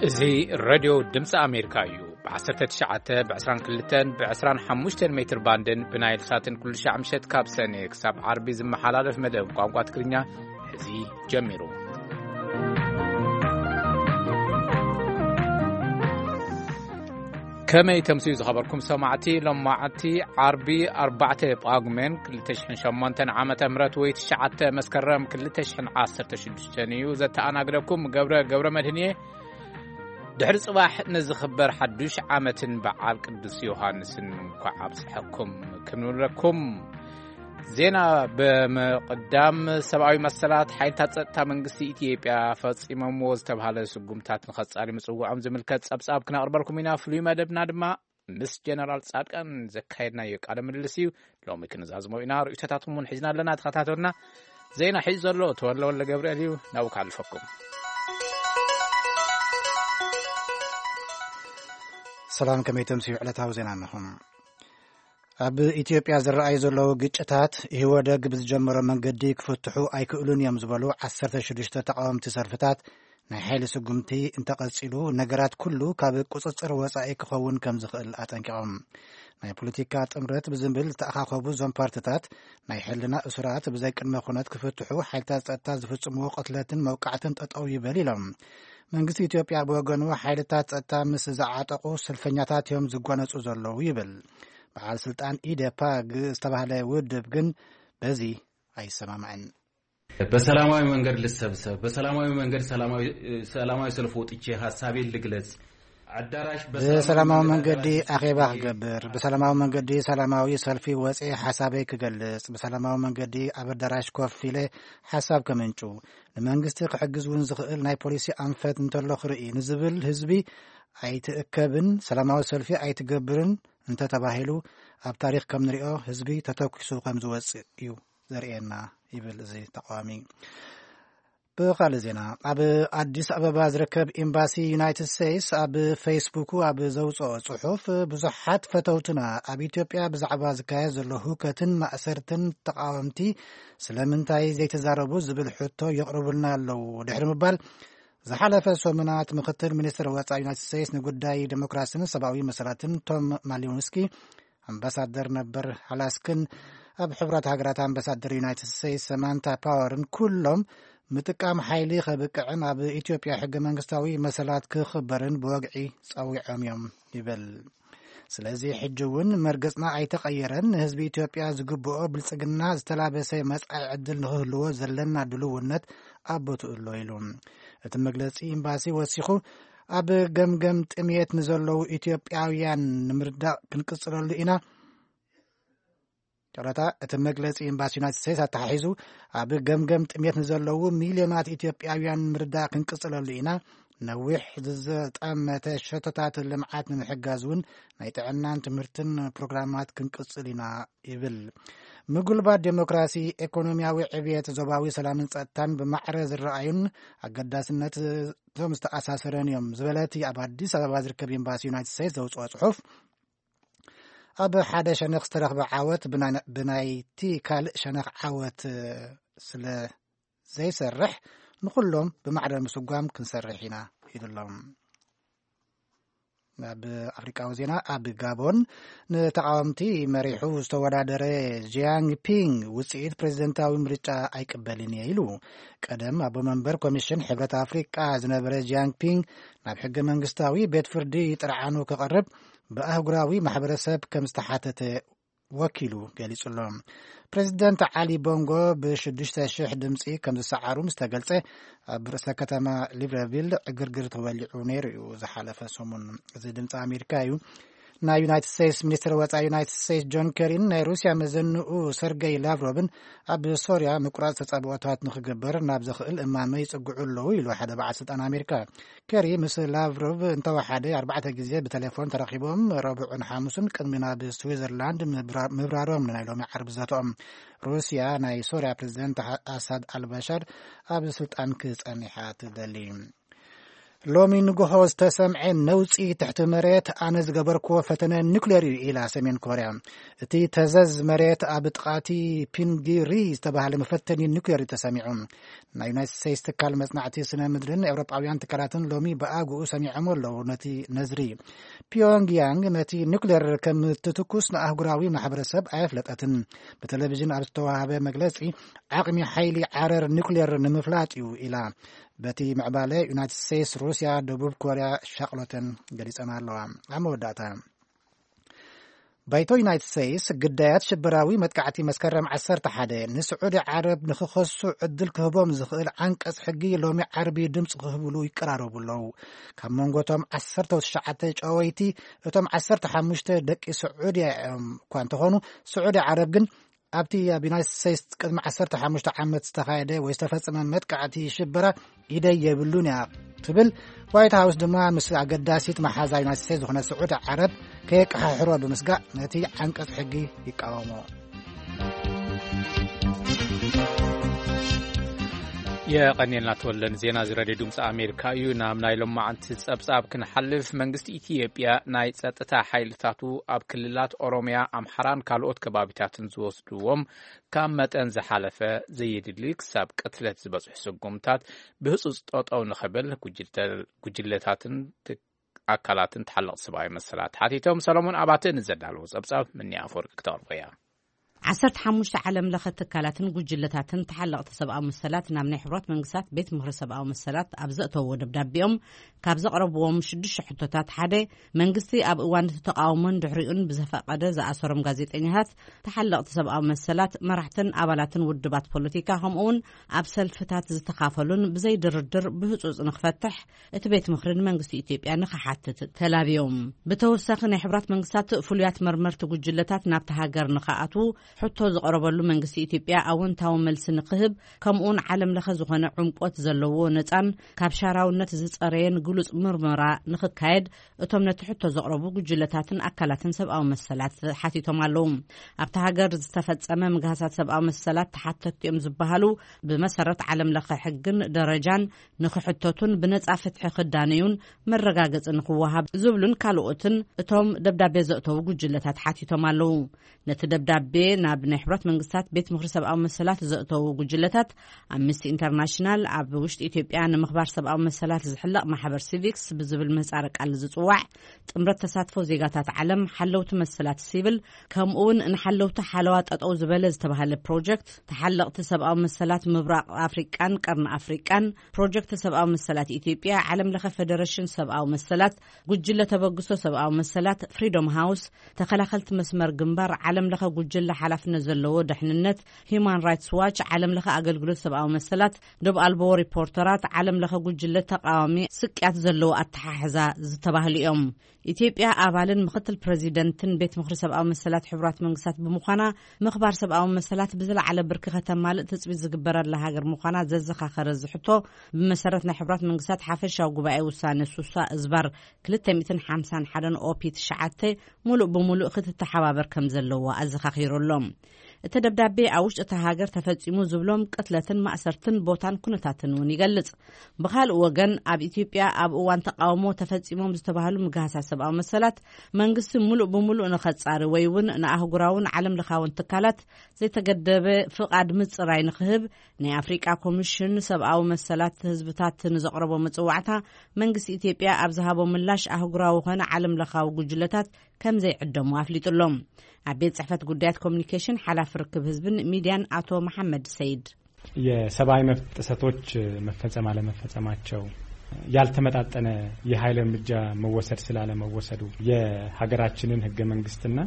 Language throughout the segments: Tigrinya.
እዚ ሬድዮ ድምፂ ኣሜሪካ እዩ። ብ19፣ ብ22፣ ብ25 ሜትር ባንድን ብናይል ሳትን ኩሉ ሻዕ ምሸት ካብ ሰኔ ክሳብ ዓርቢ ዝመሓላለፍ መደብ ቋንቋ ትግርኛ ሕዚ ጀሚሩ። ከመይ ተምስዩ ዝኸበርኩም ሰማዕቲ፣ ሎማዓቲ ዓርቢ ኣርባዕተ ጳጉሜን ክልተ ሽሕን ሸሞንተን ዓመተ ምህረት ወይ ትሽዓተ መስከረም ክልተ ሽሕን ዓሰርተ ሽዱሽተን እዩ። ዘተኣናግደኩም ገብረ ገብረ መድህን እየ። ድሕሪ ጽባሕ ንዝኽበር ሓዱሽ ዓመትን በዓል ቅዱስ ዮሃንስን እንኳዕ ኣብጽሐኩም ክንብለኩም። ዜና ብምቕዳም፣ ሰብኣዊ መሰላት ሓይልታት ጸጥታ መንግስቲ ኢትዮጵያ ፈጺሞምዎ ዝተባህለ ስጉምታት ንኸጻሊ ምጽውዖም ዝምልከት ጸብጻብ ክነቕርበልኩም ኢና። ፍሉይ መደብና ድማ ምስ ጀነራል ጻድቃን ዘካየድናዮ ቃለ ምልልስ እዩ። ሎሚ ክንዛዝሞ ኢና። ርእይቶታትኩም እውን ሒዝና ኣለና። ተኸታተሉና። ዜና ሒዙ ዘሎ ተወለ ወልደ ገብርኤል እዩ። ናብኡ ክሓልፈኩም። ሰላም፣ ከመይ ተምስዩ ዕለታዊ ዜና ኣለኹም። ኣብ ኢትዮጵያ ዝረኣዩ ዘለዉ ግጭታት ኢህወደግ ብዝጀመሮ መንገዲ ክፍትሑ ኣይክእሉን እዮም ዝበሉ ዓሰርተ ሽዱሽተ ተቃወምቲ ሰልፍታት፣ ናይ ሓይሊ ስጉምቲ እንተቐጺሉ ነገራት ኩሉ ካብ ቁጽጽር ወጻኢ ክኸውን ከም ዝኽእል ኣጠንቂቖም። ናይ ፖለቲካ ጥምረት ብዝብል ዝተኣኻኸቡ እዞም ፓርትታት፣ ናይ ሕልና እሱራት ብዘይ ቅድመ ኩነት ክፍትሑ፣ ሓይልታት ጸጥታ ዝፍጽምዎ ቅትለትን መውቃዕትን ጠጠው ይበል ኢሎም። መንግስቲ ኢትዮጵያ ብወገኑ፣ ሓይልታት ጸጥታ ምስ ዝዓጠቑ ሰልፈኛታት እዮም ዝጓነጹ ዘለዉ ይብል። በዓል ስልጣን ኢዴፓ ግ-፣ ዝተባህለ ውድብ ግን በዚ ኣይሰማማዕን። በሰላማዊ መንገድ ልሰብሰብ፣ በሰላማዊ መንገድ ሰላማዊ፣ ሰላማዊ ሰልፍ ወጥቼ ሀሳቤን ልግለጽ። አዳራሽ በሰላማዊ ብሰላማዊ መንገድ መንገድ አዳራሽ አኼባ ውስጥ ክገብር፣ ብሰላማዊ መንገዲ ሰላማዊ ሰልፊ ወጽኤ ሓሳበይ ክገልጽ፣ ብሰላማዊ መንገዲ ኣብ ኣዳራሽ ኮፍ ኢለ ሓሳብ ከምንጩ፣ ንመንግስቲ ክሕግዝ እውን ዝኽእል ናይ ፖሊሲ ኣንፈት እንተሎ ክርኢ ንዝብል ህዝቢ ኣይትእከብን፣ ሰላማዊ ሰልፊ ኣይትገብርን እንተተባሂሉ፣ ኣብ ታሪኽ ከም ንሪኦ ህዝቢ ተተኪሱ ከም ዝወጽእ እዩ ዘርእየና ይብል እዚ ተቃዋሚ። ብኻልእ ዜና፣ ኣብ ኣዲስ ኣበባ ዝርከብ ኤምባሲ ዩናይትድ ስቴትስ ኣብ ፌስቡኩ ኣብ ዘውፅኦ ፅሑፍ፣ ብዙሓት ፈተውትና ኣብ ኢትዮጵያ ብዛዕባ ዝካየድ ዘሎ ህውከትን ማእሰርትን ተቃወምቲ ስለምንታይ ዘይተዛረቡ ዝብል ሕቶ የቕርቡልና ኣለዉ ድሕሪ ምባል፣ ዝሓለፈ ሰሙናት ምክትል ሚኒስትር ወፃኢ ዩናይትድ ስቴትስ ንጉዳይ ዴሞክራሲን ሰብኣዊ መሰላትን ቶም ማሊንስኪ፣ ኣምባሳደር ነበር ኣላስክን ኣብ ሕቡራት ሃገራት ኣምባሳደር ዩናይትድ ስቴትስ ሰማንታ ፓወርን ኩሎም ምጥቃም ሓይሊ ከብቅዕን ኣብ ኢትዮጵያ ሕገ መንግስታዊ መሰላት ክኽበርን ብወግዒ ጸዊዖም እዮም ይብል። ስለዚ ሕጂ እውን መርገጽና ኣይተቐየረን፣ ንህዝቢ ኢትዮጵያ ዝግብኦ ብልጽግና ዝተላበሰ መጻኢ ዕድል ንኽህልዎ ዘለና ድልውነት ኣብ ቦትኡ ኣሎ ኢሉ። እቲ መግለጺ ኤምባሲ ወሲኹ፣ ኣብ ገምገም ጥምየት ንዘለዉ ኢትዮጵያውያን ንምርዳእ ክንቅጽለሉ ኢና። ጨረታ እቲ መግለጺ ኤምባሲ ዩናይትድ ስቴትስ ኣተሓሒዙ፣ ኣብ ገምገም ጥሜት ንዘለዉ ሚልዮናት ኢትዮጵያውያን ምርዳእ ክንቅጽለሉ ኢና። ነዊሕ ዝዘጠመተ ሸቶታት ልምዓት ንምሕጋዝ እውን ናይ ጥዕናን ትምህርትን ፕሮግራማት ክንቅጽል ኢና ይብል። ምጉልባት ዴሞክራሲ፣ ኢኮኖሚያዊ ዕብየት፣ ዞባዊ ሰላምን ጸጥታን ብማዕረ ዝረኣዩን ኣገዳስነት እቶም ዝተኣሳሰረን እዮም ዝበለ እቲ ኣብ ኣዲስ ኣበባ ዝርከብ ኤምባሲ ዩናይትድ ስቴትስ ዘውጽኦ ጽሑፍ፣ ኣብ ሓደ ሸነኽ ዝተረኽበ ዓወት ብና-፣ ብናይቲ ካልእ ሸነኽ ዓወት ስለ ዘይሰርሕ፣ ንኹሎም ብማዕረ ምስጓም ክንሰርሕ ኢና ኢሉ ኣሎ። ኣብ ኣፍሪቃዊ ዜና፣ ኣብ ጋቦን ንተቃወምቲ መሪሑ ዝተወዳደረ ጂያንግ ፒንግ ውጽኢት ፕሬዝደንታዊ ምርጫ ኣይቅበልን እየ ኢሉ። ቀደም ኣቦ መንበር ኮሚሽን ሕብረት ኣፍሪቃ ዝነበረ ጂያንግ ፒንግ ናብ ሕገ መንግስታዊ ቤት ፍርዲ ጥርዓኑ ክቐርብ ብኣህጉራዊ ማሕበረሰብ ከም ዝተሓተተ ወኪሉ ገሊጹ ኣሎ። ፕሬዚደንት ዓሊ ቦንጎ ብሽዱሽተ ሽሕ ድምፂ ከም ዝሰዓሩ ምስ ተገልጸ፣ ኣብ ርእሰ ከተማ ሊብረቪል ዕግርግር ተወሊዑ ነይሩ እዩ ዝሓለፈ ሰሙን። እዚ ድምፂ ኣሜሪካ እዩ። ናይ ዩናይትድ ስቴትስ ሚኒስትር ወፃኢ ዩናይትድ ስቴትስ ጆን ኬሪን ናይ ሩስያ መዘንኡ ሰርገይ ላቭሮቭን ኣብ ሶርያ ምቁራፅ ተፃብኦታት ንክግበር ናብ ዘኽእል እማመ ይፅግዑ ኣለዉ ኢሉ ሓደ በዓል ስልጣን ኣሜሪካ። ኬሪ ምስ ላቭሮቭ እንተወሓደ ኣርባዕተ ግዜ ብቴሌፎን ተራኺቦም፣ ረቡዕን ሓሙስን ቅድሚ ናብ ስዊዘርላንድ ምብራ-፣ ምብራሮም ንናይ ሎሚ ዓርቢ ዘተኦም። ሩስያ ናይ ሶርያ ፕሬዚደንት ኣሳድ ኣልበሻር ኣብ ስልጣን ክጸንሕ እያ ትደሊ። ሎሚ ንግሆ ዝተሰምዐ ነውጺ ትሕቲ መሬት ኣነ ዝገበርክዎ ፈተነ ኒኩሌር እዩ ኢላ ሰሜን ኮርያ። እቲ ተዘዝ መሬት ኣብ ጥቓቲ ፒንጊሪ ዝተባህለ መፈተኒ ኒኩሌር እዩ ተሰሚዑ። ናይ ዩናይትድ ስቴትስ ትካል መጽናዕቲ ስነ ምድርን ኤውሮጳውያን ትካላትን ሎሚ ብኣግኡ ሰሚዖም ኣለዉ ነቲ ነዝሪ። ፒዮንግያንግ ነቲ ኒኩሌር ከም ትትኩስ ንኣህጉራዊ ማሕበረሰብ ኣየፍለጠትን። ብቴሌቪዥን ኣብ ዝተዋሃበ መግለጺ፣ ዓቕሚ ሓይሊ ዓረር ኒኩሌር ንምፍላጥ እዩ ኢላ። በቲ ምዕባለ ዩናይትድ ስቴትስ፣ ሩስያ፣ ደቡብ ኮርያ ሻቕሎተን ገሊጸን ኣለዋ። ኣብ መወዳእታ፣ ባይቶ ዩናይትድ ስቴትስ ግዳያት ሽበራዊ መጥቃዕቲ መስከረም ዓሰርተ ሓደ ንስዑዲ ዓረብ ንኽኸሱ ዕድል ክህቦም ዝኽእል ዓንቀጽ ሕጊ ሎሚ ዓርቢ ድምፂ ክህብሉ ይቀራረቡ ኣለዉ። ካብ መንጎቶም ዓሰርተ ትሽዓተ ጨወይቲ፣ እቶም ዓሰርተ ሓሙሽተ ደቂ ስዑድያ እዮም እኳ እንተኾኑ፣ ስዑዲ ዓረብ ግን ኣብቲ ኣብ ዩናይትድ ስቴትስ ቅድሚ ዓሰርተ ሓሙሽተ ዓመት ዝተኻየደ ወይ ዝተፈጸመ መጥቃዕቲ ሽበራ ኢደይ የብሉን እያ ትብል። ዋይት ሃውስ ድማ ምስ ኣገዳሲት መሓዛ ዩናይትድ ስቴትስ ዝኾነ ስዑዲ ዓረብ ከየቀሓሕሮ ብምስጋእ ነቲ ዓንቀጽ ሕጊ ይቃወሞ። የቐንየልና ተወልደ ንዜና እዚ ሬድዮ ድምፂ ኣሜሪካ እዩ። ናብ ናይ ሎማዓንቲ ጸብጻብ ክንሓልፍ፣ መንግስቲ ኢትዮጵያ ናይ ጸጥታ ሓይልታቱ ኣብ ክልላት ኦሮሚያ፣ ኣምሓራን ካልኦት ከባቢታትን ዝወስድዎም ካብ መጠን ዝሓለፈ፣ ዘየድሊ ክሳብ ቅትለት ዝበጽሑ ስጉምታት ብህጹጽ ጠጠው ንኽብል ጉጅተ-፣ ጉጅለታትን ት-፣ ኣካላትን ተሓለቕቲ ሰብኣዊ መሰላት ሓቲቶም። ሰሎሞን ኣባተ ንዘዳለዎ ጸብጻብ ምንያ ኣፈወርቂ ክተቕርቦ እያ። ዓሰርተ ሓሙሽተ ዓለም ለኸ ትካላትን ጉጅለታትን ተሓለቕቲ ሰብኣዊ መሰላት ናብ ናይ ሕቡራት መንግስታት ቤት ምኽሪ ሰብኣዊ መሰላት ኣብ ዘእተውዎ ደብዳቤኦም ካብ ዘቕረብዎም ሽዱሽተ ሕቶታት ሓደ፣ መንግስቲ ኣብ እዋን እቲ ተቓውሞን ድሕሪኡን ብዘፈቐደ ዝኣሰሮም ጋዜጠኛታት፣ ተሓለቕቲ ሰብኣዊ መሰላት፣ መራሕትን ኣባላትን ውድባት ፖለቲካ፣ ከምኡውን ኣብ ሰልፍታት ዝተኻፈሉን ብዘይ ድርድር ብህጹጽ ንኽፈትሕ እቲ ቤት ምኽሪ ንመንግስቲ ኢትዮጵያ ንኽሓትት ተላብዮም። ብተወሳኺ ናይ ሕብራት መንግስታት ፍሉያት መርመርቲ ጉጅለታት ናብቲ ሃገር ንኽኣትዉ ሕቶ ዝቐረበሉ መንግስቲ ኢትዮጵያ ኣወንታዊ መልሲ ንኽህብ፣ ከምኡውን ዓለም ለኸ ዝኾነ ዕምቆት ዘለዎ ነጻን ካብ ሻራውነት ዝጸረየን ግሉጽ ምርመራ ንኽካየድ እቶም ነቲ ሕቶ ዘቕረቡ ጉጅለታትን ኣካላትን ሰብኣዊ መሰላት ሓቲቶም ኣለዉ። ኣብቲ ሃገር ዝተፈጸመ ምግሃሳት ሰብኣዊ መሰላት ተሓተትቲ እዮም ዝበሃሉ ብመሰረት ዓለም ለኸ ሕግን ደረጃን ንኽሕተቱን ብነጻ ፍትሒ ክዳነዩን መረጋገጺ ንኽወሃብ ዝብሉን ካልኦትን እቶም ደብዳቤ ዘእተዉ ጉጅለታት ሓቲቶም ኣለዉ። ነቲ ደብዳቤ ናብ ናይ ሕብራት መንግስታት ቤት ምኽሪ ሰብኣዊ መሰላት ዘእተዉ ጉጅለታት፣ ኣምነስቲ ኢንተርናሽናል፣ ኣብ ውሽጢ ኢትዮጵያ ንምኽባር ሰብኣዊ መሰላት ዝሕለቕ ማሕበር ሲቪክስ ብዝብል ምህጻረ ቃል ዝጽዋዕ፣ ጥምረት ተሳትፎ ዜጋታት ዓለም፣ ሓለውቲ መሰላት ሲቪል፣ ከምኡውን ንሓለውቲ ሓለዋ ጠጠው ዝበለ ዝተባህለ ፕሮጀክት፣ ተሓለቕቲ ሰብኣዊ መሰላት ምብራቕ ኣፍሪቃን ቀርኒ ኣፍሪቃን፣ ፕሮጀክት ሰብኣዊ መሰላት ኢትዮጵያ፣ ዓለም ለኸ ፌደሬሽን ሰብኣዊ መሰላት፣ ጉጅለ ተበግሶ ሰብኣዊ መሰላት፣ ፍሪዶም ሃውስ፣ ተኸላኸልቲ መስመር ግንባር፣ ዓለም ለኸ ጉጅለ ሓላፍነት ዘለዎ ድሕንነት፣ ሂዩማን ራይትስ ዋች፣ ዓለም ለኸ ኣገልግሎት ሰብኣዊ መሰላት፣ ዶብ ኣልቦ ሪፖርተራት፣ ዓለም ለኸ ጉጅለ ተቃዋሚ ስቅያት ዘለዎ ኣተሓሕዛ ዝተባህሉ እዮም። ኢትዮጵያ ኣባልን ምክትል ፕሬዚደንትን ቤት ምኽሪ ሰብኣዊ መሰላት ሕቡራት መንግስታት ብምዃና፣ ምኽባር ሰብኣዊ መሰላት ብዝለዓለ ብርኪ ከተማልእ ትጽቢት ዝግበረላ ሃገር ምዃና ዘዘኻኸረ እዚ ሕቶ፣ ብመሰረት ናይ ሕቡራት መንግስታት ሓፈሻዊ ጉባኤ ውሳነ ሱሳ እዝባር ክልተ ሚእትን ሓምሳን ሓደን ኦፒ ትሽዓተ፣ ሙሉእ ብሙሉእ ክትተሓባበር ከም ዘለዋ ኣዘኻኺሩ ኣሎ። እቲ ደብዳቤ ኣብ ውሽጢ እታ ሃገር ተፈጺሙ ዝብሎም ቅትለትን ማእሰርትን ቦታን ኩነታትን እውን ይገልጽ። ብኻልእ ወገን፣ ኣብ ኢትዮጵያ ኣብ እዋን ተቃውሞ ተፈጺሞም ዝተባህሉ ምግሃሳት ሰብኣዊ መሰላት መንግስቲ ሙሉእ ብሙሉእ ንኸጻሪ ወይ እውን ንኣህጉራውን ዓለም ለኻውን ትካላት ዘይተገደበ ፍቓድ ምጽራይ ንኽህብ ናይ ኣፍሪቃ ኮሚሽን ሰብኣዊ መሰላት ህዝብታት ንዘቕረቦ መጽዋዕታ መንግስቲ ኢትዮጵያ ኣብ ዝሃቦ ምላሽ ኣህጉራዊ ኾነ ዓለም ለኻዊ ጉጅለታት ከም ዘይዕደሙ ኣፍሊጡ ኣሎ። ኣብ ቤት ጽሕፈት ጉዳያት ኮሚኒኬሽን ሓላፊ ርክብ ህዝብን ሚድያን ኣቶ መሓመድ ሰይድ። የሰብአዊ መብት ጥሰቶች መፈጸም አለመፈጸማቸው፣ ያልተመጣጠነ የኃይል እርምጃ መወሰድ ስላለመወሰዱ፣ የሀገራችንን ህገ መንግስትና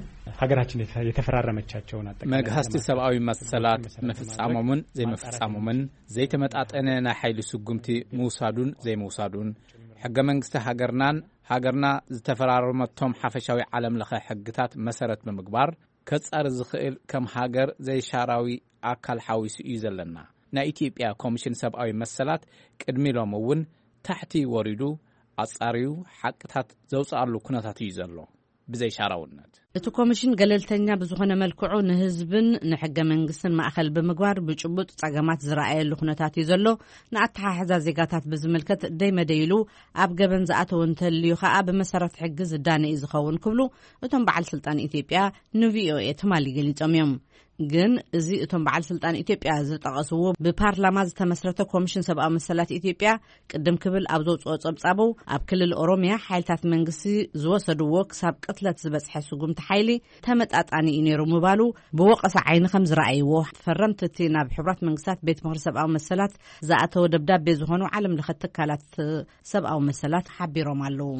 ሀገራችን የተ-፣ የተፈራረመቻቸውን አጠቃላይ መግሃስቲ ዓለም አቀፍ ሰብአዊ መሰላት መሰረት በማድረግ ምፍጻሞምን ማጣራት ዘይምፍጻሞምን፣ ዘይተመጣጠነ ናይ ሓይሊ ስጉምቲ ምውሳዱን ዘይምውሳዱን፣ ሕገ መንግስቲ ሃገርናን ሃገርና ዝተፈራረመቶም ሓፈሻዊ ዓለም ለኸ ሕግታት መሰረት ብምግባር፣ ከጻሪ ዝኽእል ከም ሃገር ዘይሻራዊ ኣካል ሓዊሱ እዩ ዘለና። ናይ ኢትዮጵያ ኮሚሽን ሰብኣዊ መሰላት ቅድሚ ሎሚ እውን ታሕቲ ወሪዱ ኣጻርዩ ሓቅታት ዘውጽኣሉ ኩነታት እዩ ዘሎ። ብዘይሻራውነት። እቲ ኮሚሽን ገለልተኛ ብዝኾነ መልክዑ ንህዝብን ንሕገ መንግስትን ማእኸል ብምግባር ብጭቡጥ ጸገማት ዝረኣየሉ ኩነታት እዩ ዘሎ። ንኣተሓሕዛ ዜጋታት ብዝምልከት ደይ መደይሉ ኣብ ገበን ዝኣተወ እንተልዩ ከኣ ብመሰረት ሕጊ ዝዳነ እዩ ዝኸውን ክብሉ እቶም በዓል ስልጣን ኢትዮጵያ ንቪኦኤ ትማሊ ገሊጾም እዮም። ግን እዚ እቶም በዓል ስልጣን ኢትዮጵያ ዝጠቐስዎ ብፓርላማ ዝተመስረተ ኮሚሽን ሰብኣዊ መሰላት ኢትዮጵያ ቅድም ክብል ኣብ ዘውፅኦ ጸብጻቡ ኣብ ክልል ኦሮሚያ ሓይልታት መንግስቲ ዝወሰድዎ ክሳብ ቅትለት ዝበፅሐ ስጉምቲ ሓይሊ ተመጣጣኒ እዩ ነይሩ ምባሉ ብወቐሳ ዓይኒ ከም ዝረኣይዎ ፈረምቲ እቲ ናብ ሕቡራት መንግስታት ቤት ምኽሪ ሰብኣዊ መሰላት ዝኣተወ ደብዳቤ ዝኾኑ ዓለም ለኸ ትካላት ሰብኣዊ መሰላት ሓቢሮም ኣለዉ።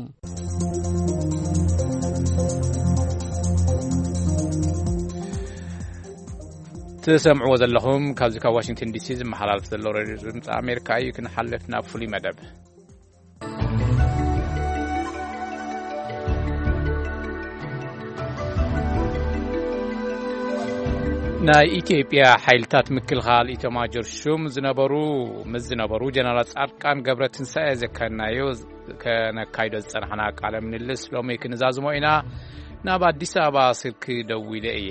ትሰምዕዎ ዘለኹም ካብዚ ካብ ዋሽንግተን ዲሲ ዝመሓላለፍ ዘሎ ሬድዮ ድምፂ ኣሜሪካ እዩ። ክንሓልፍ ናብ ፍሉይ መደብ። ናይ ኢትዮጵያ ሓይልታት ምክልኻል ኢተማጆር ሹም ዝነበሩ ምስ ዝነበሩ ጀነራል ጻድቃን ገብረ ትንሳኤ ዘካየድናዮ ከነካይዶ ዝጸናሕና ቃለ ምልልስ ሎሚ ክንዛዝሞ ኢና። ናብ ኣዲስ ኣበባ ስልኪ ደዊለ እየ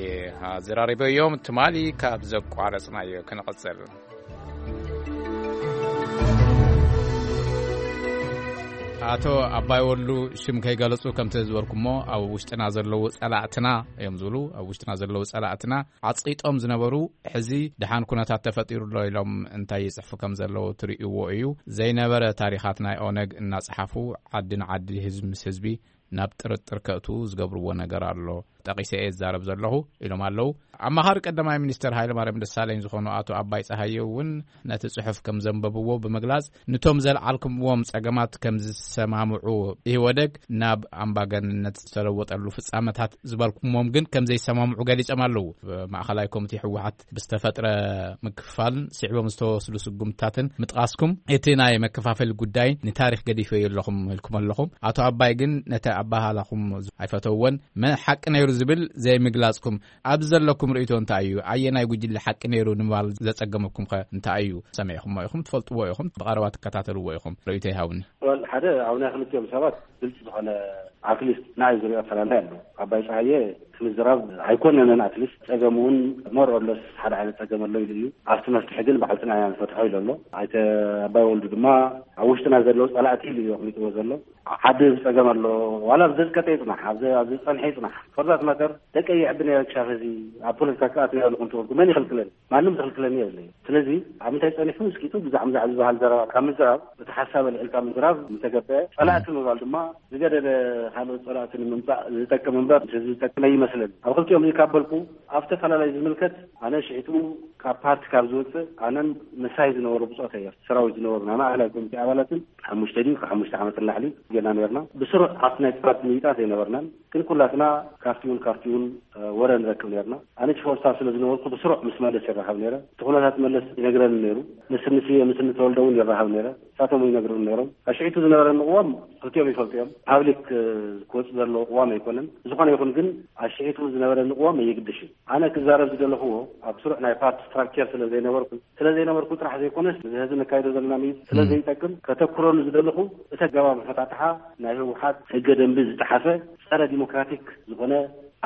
ኣዘራሪበዮም። ትማሊ ካብ ዘቋረጽናዮ ክንቕጽል። ኣቶ ኣባይ ወሉ፣ ሽም ከይገለጹ ከምቲ ዝበልኩሞ ኣብ ውሽጥና ዘለዉ ጸላእትና እዮም ዝብሉ። ኣብ ውሽጥና ዘለዉ ጸላእትና ዓጽቂጦም ዝነበሩ ሕዚ ደሓን ኩነታት ተፈጢሩ ኣሎ ኢሎም እንታይ ይጽሕፉ ከም ዘለዉ ትርእይዎ እዩ። ዘይነበረ ታሪኻት ናይ ኦነግ እናጸሓፉ ዓዲ ንዓዲ ህዝቢ ምስ ህዝቢ ናብ ጥርጥር ከእቱ ዝገብርዎ ነገር ኣሎ። ጠቒሰ እየ ዝዛረብ ዘለኹ ኢሎም ኣለዉ። ኣማኻሪ ቀዳማይ ሚኒስተር ሃይለማርያም ደሳለኝ ዝኾኑ ኣቶ ኣባይ ጸሃየ እውን ነቲ ጽሑፍ ከም ዘንበብዎ ብምግላጽ፣ ነቶም ዘልዓልኩምዎም ጸገማት ከም ዝሰማምዑ፣ ኢህወደግ ናብ ኣምባገንነት ዝተለወጠሉ ፍጻመታት ዝበልኩሞም ግን ከም ዘይሰማምዑ ገሊጾም ኣለዉ። ማእኸላይ ኮሚቴ ህወሓት ብዝተፈጥረ ምክፍፋልን ስዒቦም ዝተወስዱ ስጉምትታትን ምጥቓስኩም፣ እቲ ናይ መከፋፈሊ ጉዳይ ንታሪኽ ገዲፈዮ ኣለኹም ኢልኩም ኣለኹም። ኣቶ ኣባይ ግን ነቲ ኣባሃላኹም ኣይፈተውዎን። መን ሓቂ ነይሩ ዝብል ዘይምግላጽኩም፣ ኣብዚ ዘለኩም ርእይቶ እንታይ እዩ? ኣየናይ ጉጅለ ሓቂ ነይሩ ንምባል ዘጸገመኩም ከ እንታይ እዩ? ሰሚዕኩሞ ኢኹም፣ ትፈልጥዎ ኢኹም፣ ብቐረባ ትከታተልዎ ኢኹም። ርእይቶ ይሃብኒ። ወል፣ ሓደ ኣብ ናይ ክልቲኦም ሰባት ግልጺ ዝኾነ፣ ኣትሊስት ንዓይ ዝሪኦ ኣፈላላይ ኣሎ። ኣባይ ጸሃየ እቲ ምዝራብ ኣይኮነንን፣ ኣትሊስት ጸገም እውን ሞር ኦር ለስ ሓደ ዓይነት ጸገም ኣሎ ኢሉ እዩ። ኣብቲ መፍትሒ ግን ባዕልትና ኢና ንፈትሖ ኢሉ ኣሎ። ኣይተ ኣባይ ወልዱ ድማ ኣብ ውሽጥና ዘለዉ ጸላእቲ ኢሉ እዩ ኣቕሚጥዎ ዘሎ። ዓዲ ዝጸገም ኣሎ፣ ዋላ ኣብ ዘዝቀጠ ይጽናሕ፣ ኣብ ዘ-፣ ኣብ ዝጸንሐ ይጽናሕ። ፎር ዛት ማተር፣ ደቀይ ይዕቢ ነይረ ክሻፍ እዚ ኣብ ፖለቲካ ክኣቱ እየ ኣለኹ እንተበልኩ መን ይኽልክለኒ? ማንም ዝኽልክለኒ የብለይ። ስለዚ ኣብ ምንታይ ጸኒሑ እስኪቱ ብዛዕ ምዛዕ ዝበሃል ዘረባ ካብ ምዝራብ፣ እቲ ሓሳብ ኣልዒልካ ምዝራብ ምተገበአ፣ ጸላእቲ ምባል ድማ ዝገደደ ካልኦት ጸላእቲ ንምምጻእ ዝጠቅም እምበር ንህዝቢ ዝጠቅም ኣይመስለኒ። ኣብ ክልቲኦም እዚ ካብ በልኩ፣ ኣብ ተፈላለዩ ዝምልከት፣ ኣነ ሽሒቱ ካብ ፓርቲ ካብ ዝወጽእ፣ ኣነን ምሳይ ዝነበሩ ብጾተይ፣ ሰራዊት ዝነበሩ ናይ ማእኸላይ ኮሚቴ ኣባላትን ሓሙሽተ ድዩ ካብ ሓሙሽተ ዓመት ንላዕሊ ጌና ነርና። ብስሩዕ ኣብቲ ናይ ፓርቲ ምይጣት ኣይነበርናን፣ ግን ኩላትና ካፍቲ እውን ካፍቲ እውን፣ እ፣ ወረ ንረክብ ነርና። ኣነ ቺፍ ኦፍ ስታፍ ስለ ዝነበርኩ ብስሩዕ ምስ መለስ ይራኸብ ነይረ። እቲ ኩነታት መለስ ይነግረኒ ነይሩ። ምስ ንስየ ምስ ንተወልደ እውን ይራኸብ ነይረ። ንሳቶም እውን ይነግሩኒ ነይሮም። ኣሽዒቱ ዝነበረኒ ቅዋም ክልቲኦም ይፈልጡ እዮም። ፓብሊክ፣ እ፣ ክወጽእ ዘለዎ ቅዋም ኣይኮነን። ዝኾነ ይኹን ግን ኣሽዒቱ ዝነበረኒ ቅዋም ኣየግድሽ እዩ። ኣነ ክዛረብ ዝደለኽዎ ኣብ ስሩዕ ናይ ፓርቲ ስትራክቸር ስለ ዘይነበርኩ፣ ስለ ዘይነበርኩ ጥራሕ ዘይኮነስ፣ እዚ ሕዚ ነካይዶ ዘለና ምይይጥ ስለ ዘይጠቅም፣ ከተኩረሉ ዝደለኹ እቲ ኣገባብ ኣፈታትሓ ናይ ህወሓት ሕገ ደንቢ ዝጠሓሰ ጸረ ዲሞክራቲክ ዝኾነ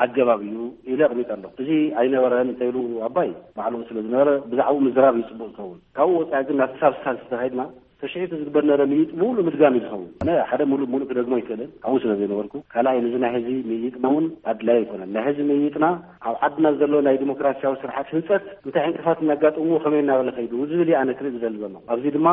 ኣገባብ እዩ ኢለ ኣቕሚጠ ኣለኹ። እዚ ኣይነበረን እንተኢሉ ኣባይ ባዕሉ ስለ ዝነበረ ብዛዕባኡ ምዝራብ እዩ ጽቡቕ ዝኸውን። ካብኡ ወጻኢ ግን ናብቲ ሳብስታንስ እንተኸይድና፣ ተሽዒቱ ዝግበር ነበረ ምይይጥ ምሉእ ምድጋም እዩ ዝኸውን። ኣነ ሓደ ምሉእ ምሉእ ክደግሞ ኣይክእልን፣ ኣብኡ ስለ ዘይነበርኩ። ካልኣይ፣ ንዚ ናይ ሕዚ ምይይጥና እውን ኣድላይ ኣይኮነን። ናይ ሕዚ ምይይጥና ኣብ ዓድና ዘሎ ናይ ዲሞክራሲያዊ ስርዓት ህንጸት እንታይ ዕንቅፋት እናጋጠምዎ ከመይ እናበለ ከይዱ ዝብል እዩ ኣነ ክርኢ ዝደሊ ዘለኹ። ኣብዚ ድማ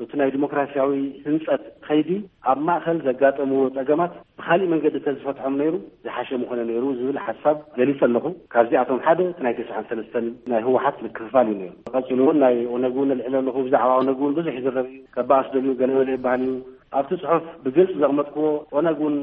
እቲ ናይ ዲሞክራሲያዊ ህንጸት ከይዲ ኣብ ማእከል ዘጋጠምዎ ጸገማት ብኻሊእ መንገዲ እንተዝፈትሖም ነይሩ ዝሓሸ ምኾነ ነይሩ ዝብል ሓሳብ ገሊጸ ኣለኹ። ካብዚኣቶም ሓደ እቲ ናይ ተስዓን ሰለስተን ናይ ህወሓት ምክፍፋል እዩ ነይሩ። ቀጺሉ እውን ናይ ኦነግ እውን እልዕል ኣለኹ። ብዛዕባ ኦነግ እውን ብዙሕ ይዝረብ እዩ። ከባኣስ ደልዩ ገለ ገለ ይበሃል እዩ። ኣብቲ ጽሑፍ ብግልጺ ዘቕመጥክዎ ኦነግ እውን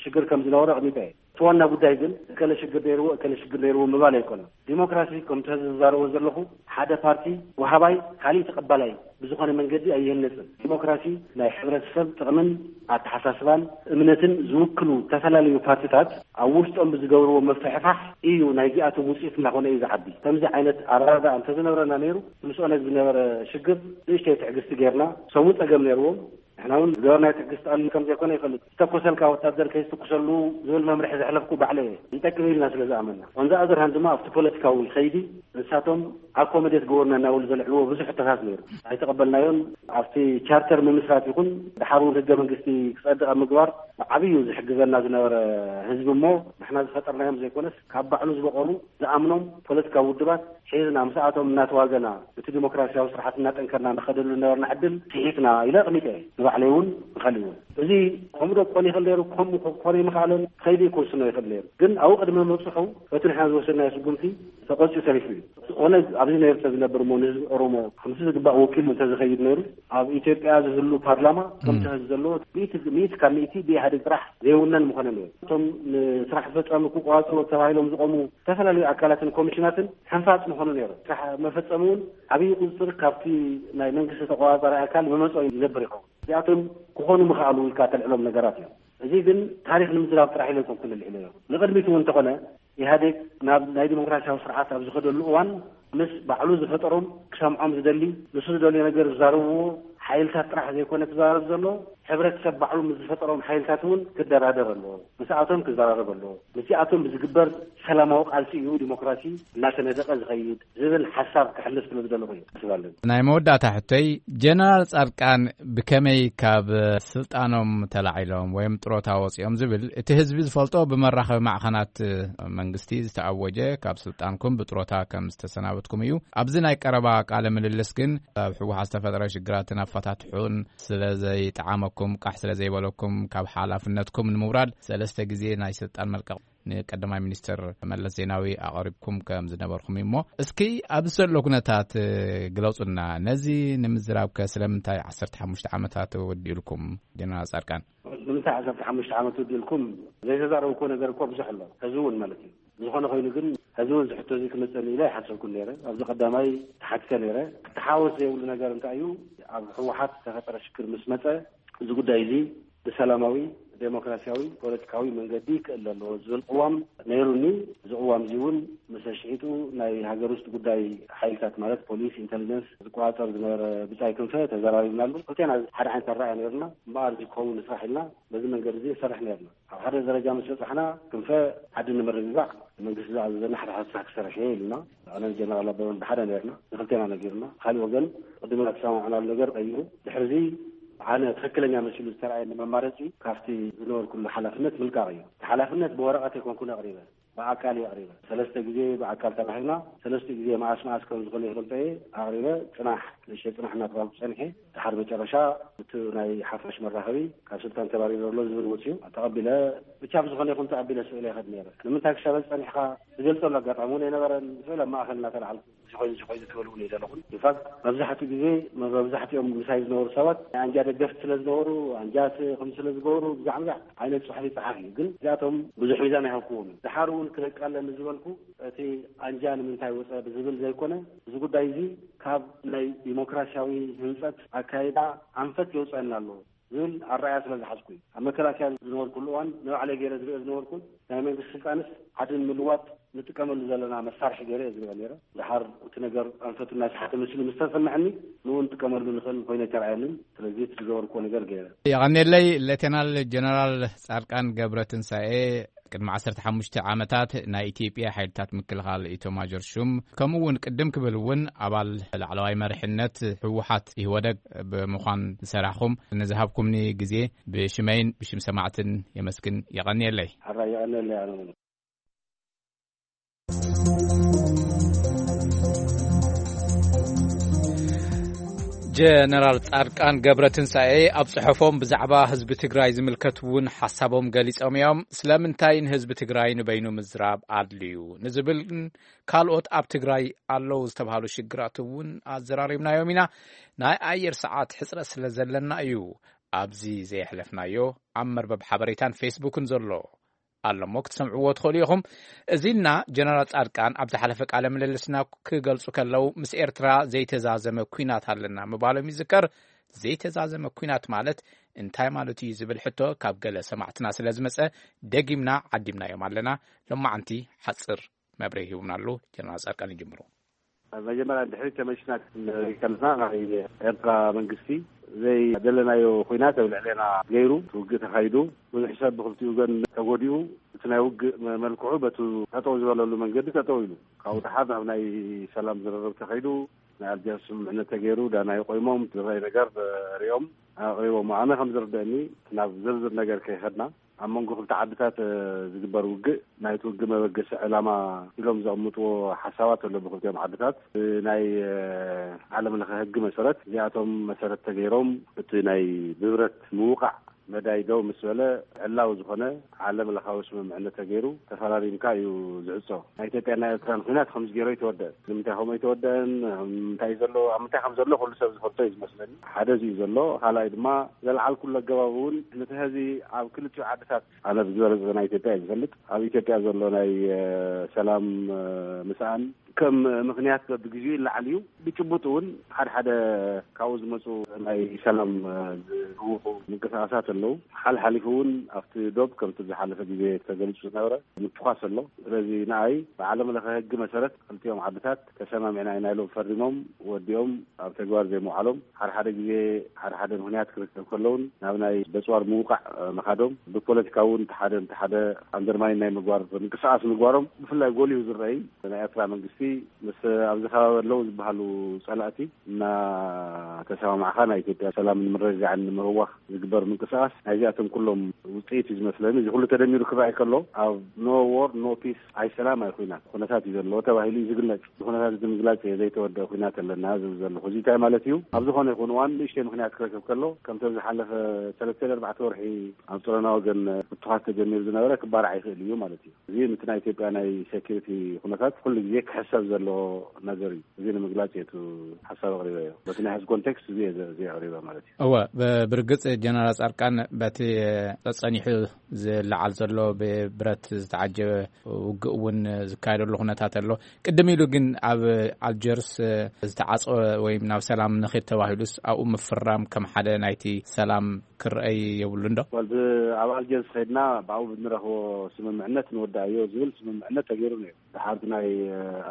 ሽግር ከም ዝነበሮ ኣቕሚጠ እየ። እቲ ዋና ጉዳይ ግን እከለ ሽግር ነይርዎ፣ እከለ ሽግር ነይርዎ ምባል ኣይኮነን። ዲሞክራሲ ከምቲ ሕዚ ዝዛረቦ ዘለኹ ሓደ ፓርቲ ወሃባይ፣ ካሊእ ተቐባላይ ብዝኾነ መንገዲ ኣይህነጽን። ዲሞክራሲ ናይ ሕብረተሰብ ጥቕምን ኣተሓሳስባን እምነትን ዝውክሉ ዝተፈላለዩ ፓርቲታት ኣብ ውሽጦም ብዝገብርዎ ምፍሕፋሕ እዩ ናይዚኣቶም ውፅኢት እናኾነ እዩ ዝዓቢ። ከምዚ ዓይነት ኣረዳድኣ እንተዝነብረና ነይሩ ምስ ኦነግ ዝነበረ ሽግር ንእሽተይ ትዕግስቲ ጌርና፣ ሰሙ ጸገም ነይርዎም፣ ንሕና እውን ዝገበርናዮ ትዕግስቲ ቀሊል ከም ዘይኮነ ይፈልጥ። ዝተኮሰልካ ወታደር ከይዝትኩሰሉ ዝብል መምርሒ ዘሕለፍኩ ባዕለ እየ። ይጠቅም ኢልና ስለ ዝኣመና። On the other hand ድማ ኣብቲ ፖለቲካዊ ከይዲ ንሳቶም ኣኮመዴት ገበሩና እናበሉ ዘልዕልዎ ብዙሕ ሕቶታት ነይሩ። ኣይተቐበልናዮን። ኣብቲ ቻርተር ምምስራት ይኹን ድሓር እውን ህገ መንግስቲ ክጸድቕ ኣብ ምግባር ብዓብዩ ዝሕግዘና ዝነበረ ህዝቢ እሞ ንሕና ዝፈጠርናዮም ዘይኮነስ ካብ ባዕሉ ዝበቐሉ ዝኣምኖም ፖለቲካዊ ውድባት ሒዝና ምስኣቶም እናተዋገና እቲ ዲሞክራሲያዊ ስርዓት እናጠንከርና ንኸደሉ ዝነበርና ዕድል ስሒትና ኢለ ኣቕሚጠ እየ። ንባዕለይ እውን ንኻልእ እውን። እዚ ከምኡ ዶ ክኾን ይኽእል ነይሩ፣ ከምኡ ክኾነ ይምኽኣለን፣ ከይዲ ክውስኖ ይኽእል ነይሩ። ግን ኣብኡ ቅድሚ ምብፅሑ እቲ ንሕና ዝወሰድናዮ ስጉምቲ ተቆፂኡ ተሪፉ እዩ። ኦነግ ኣብዚ ነይሩ እንተዝነብር እሞ ንህዝቢ ኦሮሞ ከምቲ ዝግባእ ወኪሉ እንተዝኸይድ ነይሩ ኣብ ኢትዮጵያ ዝህሉ ፓርላማ ከምቲ ሕዚ ዘለዎ ሚእቲ ሚእቲ ካብ ሚእቲ ብኢህኣዴግ ጥራሕ ዘይውነን ምኾነ ነይሩ። እቶም ንስራሕ ፈጻሚ ክቆጻጸሩ ተባሂሎም ዝቆሙ ዝተፈላለዩ ኣካላትን ኮሚሽናትን ሕንፋጽ ምኾኑ ነይሩ። ስራሕ መፈጸሚ እውን ዓብዪ ቁፅፅር ካብቲ ናይ መንግስቲ ተቆጻጻሪ ኣካል መመፅኦ ይነብር ይኸውን። እዚኣቶም ክኾኑ ምኽኣሉ ኢልካ ተልዕሎም ነገራት እዮም። እዚ ግን ታሪክ ንምዝራብ ጥራሕ ኢለ ኣይኮንኩን ልዕሎ እዮም። ንቅድሚት እውን እንተኾነ ኢህኣዴግ ናብ ናይ ዲሞክራሲያዊ ስርዓት ኣብ ዝኸደሉ እዋን ምስ ባዕሉ ዝፈጠሮም ክሰምዖም ዝደሊ ንሱ ዝደልዮ ነገር ዝዛረብዎ ሓይልታት ጥራሕ ዘይኮነ ክዘራረብ ዘሎ ሕብረተሰብ ባዕሉ ምስ ዝፈጠሮም ሓይልታት እውን ክደራደር ኣለዎ። ምስኣቶም ክዘራረብ ኣለዎ። ምስኣቶም ብዝግበር ሰላማዊ ቃልሲ እዩ ዲሞክራሲ እናተነደቀ ዝኸይድ ዝብል ሓሳብ ክሕልፍ ስለ ዝደለኹ እዩ ክስብ ኣለኒ። ናይ መወዳእታ ሕቶይ ጀነራል ጻድቃን ብከመይ ካብ ስልጣኖም ተላዒሎም ወይም ጥሮታ ወፂኦም ዝብል እቲ ህዝቢ ዝፈልጦ ብመራኸቢ ማዕኸናት መንግስቲ ዝተኣወጀ ካብ ስልጣንኩም ብጥሮታ ከም ዝተሰናበትኩም እዩ። ኣብዚ ናይ ቀረባ ቃለ ምልልስ ግን ኣብ ህወሓት ዝተፈጠረ ሽግራትን ኣፈታትሑን ስለ ዘይጠዓመኩም ቃሕ ስለ ዘይበለኩም ካብ ሓላፍነትኩም ንምውራድ ሰለስተ ግዜ ናይ ስልጣን መልቀቕ ንቀዳማይ ሚኒስትር መለስ ዜናዊ ኣቕሪብኩም ከም ዝነበርኩም እዩ። እሞ እስኪ ኣብዚ ዘሎ ኩነታት ግለጹና። ነዚ ንምዝራብ ከ ስለምንታይ ዓሰርተ ሓሙሽተ ዓመታት ወዲእልኩም ጀነራል ጻድቃን? ንምንታይ ዓሰርተ ሓሙሽተ ዓመት ወዲእልኩም ዘይተዛረብኩዎ ነገር እኮ ብዙሕ ኣሎ። ሕዚ እውን ማለት እዩ። ዝኾነ ኮይኑ ግን ሕዚ እውን እዚ ሕቶ እዚ ክመጸኒ ኢለ ኣይሓሰብኩን ነይረ። ኣብዚ ቀዳማይ ተሓቲተ ነይረ። ክተሓወስ ዘይብሉ ነገር እንታይ እዩ? ኣብ ህወሓት ዝተፈጠረ ሽግር ምስ መጸ እዚ ጉዳይ እዚ ብሰላማዊ ዴሞክራሲያዊ ፖለቲካዊ መንገዲ ክእለ ኣለዎ ዝብል ቅዋም ነይሩኒ። እዚ ቅዋም እዚ እውን ምስ ኣሽሒቱ ናይ ሃገር ውስጥ ጉዳይ ሓይልታት ማለት ፖሊስ፣ ኢንተሊጀንስ ዝቆጻጸር ዝነበረ ብጻይ ክንፈ ተዘራሪብናሉ። ክልቴና ሓደ ዓይነት ኣረኣእያ ነይሩና። እምበኣር እዚ ክኸውን ንስራሕ ኢልና በዚ መንገዲ እዚ ንሰርሕ ነይርና። ኣብ ሓደ ደረጃ ምስ በጻሕና ክንፈ ዓዲ ንምርግጋዕ መንግስቲ ዝኣዘዘና ሓደ ሓደ ስራሕ ክሰርሕ እየ ኢሉና። ኣነን ጀነራል ኣበበን ብሓደ ነይርና። ንክልቴና ነጊሩና። ካልእ ወገን ቅድም እናተሰማማዕናሉ ነገር ቀይሩ። ድሕሪ እዚ ኣነ ትኽክለኛ መሲሉ ዝተረኣየኒ መማረፂ ካብቲ ዝነበርኩሉ ሓላፍነት ምልቃቕ እዩ። እቲ ሓላፍነት ብወረቐት ኣይኮንኩን ኣቕሪበ፣ ብኣካል እየ ኣቕሪበ። ሰለስተ ግዜ ብኣካል ተራኺብና፣ ሰለስተ ግዜ መኣስ መኣስ ከም ዝኾነ ይፈልጦ እየ ኣቕሪበ። ጽናሕ፣ ንእሽተይ ጽናሕ እናተባልኩ ጸኒሐ። ድሓር መጨረሻ እቲ ናይ ሓፋሽ መራኸቢ ካብ ስልጣን ተባሪሩ ኣሎ ዝብል ወፅዩ ተቐቢለ። ብቻ ብዝኾነ ይኹን ተቐቢለ ስእለ ይኸድ ነይረ። ንምንታይ ክሻበል ጸኒሕካ ዝገልጸሉ ኣጋጣሚ እውን ኣይነበረን። ስእለ ኣብ ማእኸል እናተላዕልኩ እዚ ኮይኑ እዚ ኮይኑ ትበልኡ እየ ዘለኹን። ኢንፋክት መብዛሕትኡ ግዜ መብዛሕትኦም ምሳይ ዝነበሩ ሰባት ናይ ኣንጃ ደገፍቲ ስለ ዝነበሩ ኣንጃ ስ- ከም ስለ ዝገበሩ ብዛዕ ብዛዕ ዓይነት ጽሑፍ ይጸሓፍ እዩ። ግን እዚኣቶም ብዙሕ ሚዛን ኣይሃብኩዎም እዩ። ድሓር እውን ክነቃለኒ ዝበልኩ እቲ ኣንጃ ንምንታይ ወጸ ብዝብል ዘይኮነ እዚ ጉዳይ እዚ ካብ ናይ ዲሞክራሲያዊ ህንጸት ኣካይዳ ኣንፈት የውጸአና ኣለዎ ዝብል ኣረኣያ ስለ ዝሓዝኩ እዩ። ኣብ መከላከያ ዝነበርኩሉ እዋን ንባዕለይ ገይረ ዝሪኦ ዝነበርኩን ናይ መንግስቲ ስልጣንስ ዓዲ ንምልዋጥ ንጥቀመሉ ዘለና መሳርሒ ገይረ እየ ዝሪኦ ነይረ። ድሓር እቲ ነገር ኣንፈቱ እናሰሓተ መሲሉ ምስ ተሰምዐኒ ንኡ ንጥቀመሉ ንኽእል ኮይነ ኣይተረኣየንን። ስለዚ እቲ ዝገበርኩዎ ነገር ገይረ። የቐኔለይ ሌተናል ጀነራል ጻድቃን ገብረ ትንሳኤ። ቅድሚ ዓሰርተ ሓሙሽተ ዓመታት ናይ ኢትዮጵያ ሓይልታት ምክልኻል ኢታማዦር ሹም ከምኡ እውን ቅድም ክብል እውን ኣባል ላዕለዋይ መሪሕነት ህወሓት ኢህወደግ ብምዃን ዝሰራሕኹም ንዝሃብኩምኒ ግዜ ብሽመይን ብሽም ሰማዕትን የመስግን። የቐንየለይ። ሕራይ የቐንየለይ ኣነ እውን። ጀነራል ጻድቃን ገብረ ትንሳኤ ኣብ ጽሑፎም ብዛዕባ ህዝቢ ትግራይ ዝምልከት እውን ሓሳቦም ገሊጾም እዮም። ስለምንታይ ንህዝቢ ትግራይ ንበይኑ ምዝራብ ኣድልዩ ንዝብልን ካልኦት ኣብ ትግራይ ኣለዉ ዝተባህሉ ሽግራት እውን ኣዘራሪብናዮም ኢና። ናይ ኣየር ሰዓት ሕጽረት ስለ ዘለና እዩ ኣብዚ ዘየሕለፍናዮ ኣብ መርበብ ሓበሬታን ፌስቡክን ዘሎ ኣሎ እሞ ክትሰምዕዎ ትኽእሉ ኢኹም። እዚና ጀነራል ጻድቃን ኣብ ዝሓለፈ ቃለ ምልልስና ክገልጹ ከለዉ ምስ ኤርትራ ዘይተዛዘመ ኲናት ኣለና ምባሎም ይዝከር። ዘይተዛዘመ ኲናት ማለት እንታይ ማለት እዩ ዝብል ሕቶ ካብ ገለ ሰማዕትና ስለ ዝመጸ ደጊምና ዓዲምናዮም ኣለና። ሎማዓንቲ ሓጽር መብርሂ ሂቡና ኣሎ። ጀነራል ጻድቃን ይጅምሩ። መጀመርያ ድሕሪት ተመልስና ክንርኢ ከለና፣ ናይ ኤርትራ መንግስቲ ዘይደለናዮ ኹናት ኣብ ልዕሌና ገይሩ፣ ውግእ ተኻይዱ፣ ብዙሕ ሰብ ብክልቲኡ ወገን ተጎዲኡ፣ እቲ ናይ ውግእ መ-፣ መልክዑ በቱ ጠጠው ዝበለሉ መንገዲ ጠጠው ኢሉ፣ ካብኡ ደሓር ናብ ናይ ሰላም ዝርርብ ተኸይዱ፣ ናይ ኣልጀርስ ስምምዕነት ተገይሩ፣ ዳና ይቆይሞም ዝረኣይ ነገር ሪኦም ኣቕሪቦም። ኣነ ከም ዝርደእኒ፣ ናብ ዝርዝር ነገር ከይኸድና፣ ኣብ መንጎ ክልተ ዓድታት ዝግበር ውግእ፣ ናይቲ ውግእ መበገሲ ዕላማ ኢሎም ዘቕምጥዎ ሓሳባት ኣሎ ብክልቲኦም ዓድታት። ናይ ዓለም ለኸ ህጊ መሰረት እዚኣቶም መሰረት ተገይሮም፣ እቲ ናይ ብብረት ምውቃዕ መዳይ ደው ምስ በለ፣ ዕላዊ ዝኾነ ዓለም ለኻዊ ስምምዕነት ተገይሩ ተፈራሪምካ እዩ ዝዕጾ። ናይ ኢትዮጵያ ናይ ኤርትራን ኩናት ከምዚ ገይሩ ኣይተወደአን። ንምንታይ ከምኡ ኣይተወደአን፣ እንታይ ዘሎ፣ ኣብ ምንታይ ከም ዘሎ ኩሉ ሰብ ዝፈልጦ እዩ ዝመስለኒ። ሓደ እዚ እዩ ዘሎ። ካልኣይ ድማ፣ ዘልዓልኩሉ ኣገባብ እውን ነቲ ህዚ ኣብ ክልቲኡ ዓድታት፣ ኣነ ብዝበለጸ ናይ ኢትዮጵያ እዩ ዝፈልጥ፣ ኣብ ኢትዮጵያ ዘሎ ናይ ሰላም ምስኣን ከም ምኽንያት በብግዜኡ ይለዓል እዩ። ብጭቡጥ እውን ሓደ ሓደ ካብኡ ዝመፁ ናይ ሰላም ዝህውኹ ምንቅስቃሳት ኣለዉ። ሓልሓሊፉ እውን ኣብቲ ዶብ ከምቲ ዝሓለፈ ግዜ ተገሊፁ ዝነበረ ምትኳስ ኣሎ። ስለዚ ንኣይ ብዓለም ለኸ ህጊ መሰረት ክልቲኦም ዓድታት ተሰማሚዕና ኢና ኢሎም ፈሪሞም ወዲኦም ኣብ ተግባር ዘይምውዓሎም፣ ሓደ ሓደ ግዜ ሓደ ሓደ ምኽንያት ክርከብ ከለውን ናብ ናይ በፅዋር ምውቃዕ ምኻዶም፣ ብፖለቲካ እውን ሓደ ሓደ ኣንደርማይን ናይ ምግባር ምንቅስቃስ ምግባሮም ብፍላይ ጎሊሁ ዝረኣይ ናይ ኤርትራ መንግስቲ ምስ ኣብዚ ከባቢ ኣለዉ ዝበሃሉ ጸላእቲ እናተሰማማዕካ ናይ ኢትዮጵያ ሰላምን ምርግጋዕን ንምህዋኽ ዝግበር ምንቅስቃስ ናይዚኣቶም ኩሎም ውጽኢት እዩ ዝመስለኒ። እዚ ኩሉ ተደሚሩ ክረኣይ ከሎ ኣብ no war no peace፣ ኣይ ሰላም ኣይ ኩናት ኩነታት እዩ ዘለዎ ተባሂሉ እዩ ዝግለጽ። እዚ ኩነታት እዚ ንምግላጽ ዘይተወደአ ኩናት ኣለና ዝብል ዘለኹ። እዚ እንታይ ማለት እዩ? ኣብ ዝኾነ ይኹን እዋን ንእሽተይ ምኽንያት ክረክብ ከሎ ከምቶም ዝሓለፈ ሰለስተ ኣርባዕተ ወርሒ ኣብ ጸረና ወገን ምትኳስ ተጀሚሩ ዝነበረ ክባራዕ ይኽእል እዩ ማለት እዩ። እዚ ምቲ ናይ ኢትዮጵያ ናይ ሴኩሪቲ ኩነታት ኩሉ ግዜ ክሕሰብ ዘለዎ ነገር እዩ። እዚ ንምግላጽ እየ እቲ ሓሳብ ኣቕሪበዮ። በቲ ናይ ሕዚ ኮንቴክስት እዚ እየ ዘ-፣ እዚ ኣቕሪበ ማለት እዩ። እወ፣ ብ-፣ ብርግጽ ጀነራል ጻድቃን በቲ ጸኒሑ ዝለዓል ዘሎ ብብረት ዝተዓጀበ ውግእ እውን ዝካየደሉ ኩነታት ኣሎ። ቅድም ኢሉ ግን ኣብ ኣልጀርስ ዝተዓጸወ ወይም ናብ ሰላም ንኺድ ተባሂሉስ ኣብኡ ምፍራም ከም ሓደ ናይቲ ሰላም ክረኣይ የብሉን ዶ? ወልድ ኣብ ኣልጀርስ ኸይድና ብኣኡ ብንረኽቦ ስምምዕነት ንወዳእዮ ዝብል ስምምዕነት ተገይሩ ነይሩ። ድሓር ናይ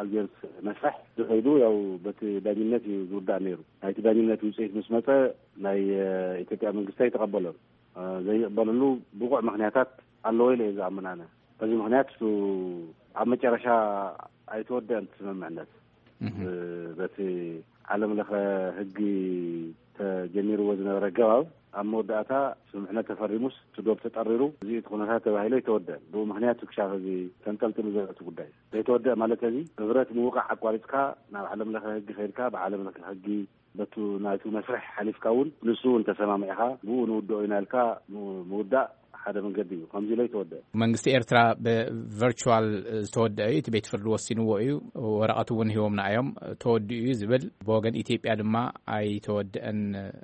ኣልጀርስ መስርሕ ዝኸይዱ ያው በቲ ዳኝነት እዩ ዝውዳእ ነይሩ። ናይቲ ዳኝነት ውፅኢት ምስ መፀ ናይ ኢትዮጵያ መንግስቲ ኣይተቐበሎን። ዘይቕበለሉ ብቑዕ ምኽንያታት ኣለዎ ኢለ እየ ዝኣምን ኣነ። በዚ ምኽንያት እሱ ኣብ መጨረሻ ኣይተወደአን እቲ ስምምዕነት። እህ። በቲ ዓለም ለኸ ህጊ ተጀሚርዎ ዝነበረ ኣገባብ ኣብ መወዳእታ ስምምዕነት ተፈሪሙስ እቲ ዶብ ተጠሪሩ እዚ እቲ ኩነታት ተባሂሉ ኣይተወደአን። ብኡ ምኽንያት ክሻፍ እዚ ተንጠልጥሉ ዘሎ እቲ ጉዳይ ዘይተወደአ ማለት እዚ ብብረት ምውቃዕ ኣቋሪፅካ ናብ ዓለም ለኸ ህጊ ከይድካ ብዓለም ለኸ ህጊ በቱ ናይቱ መስርሕ ሓሊፍካ እውን ንሱ እውን ተሰማሚዕካ ብኡ ንውድኦ ኢና ኢልካ ም-፣ ምውዳእ ሓደ መንገዲ እዩ። ከምዚ ኢሎ ይተወደአ። መንግስቲ ኤርትራ ብቨርቹዋል ዝተወደአ እዩ፣ እቲ ቤት ፍርዲ ወሲንዎ እዩ፣ ወረቐት እውን ሂቦምና እዮም፣ ተወዲኡ እዩ ዝብል፣ ብወገን ኢትዮጵያ ድማ ኣይተወደአን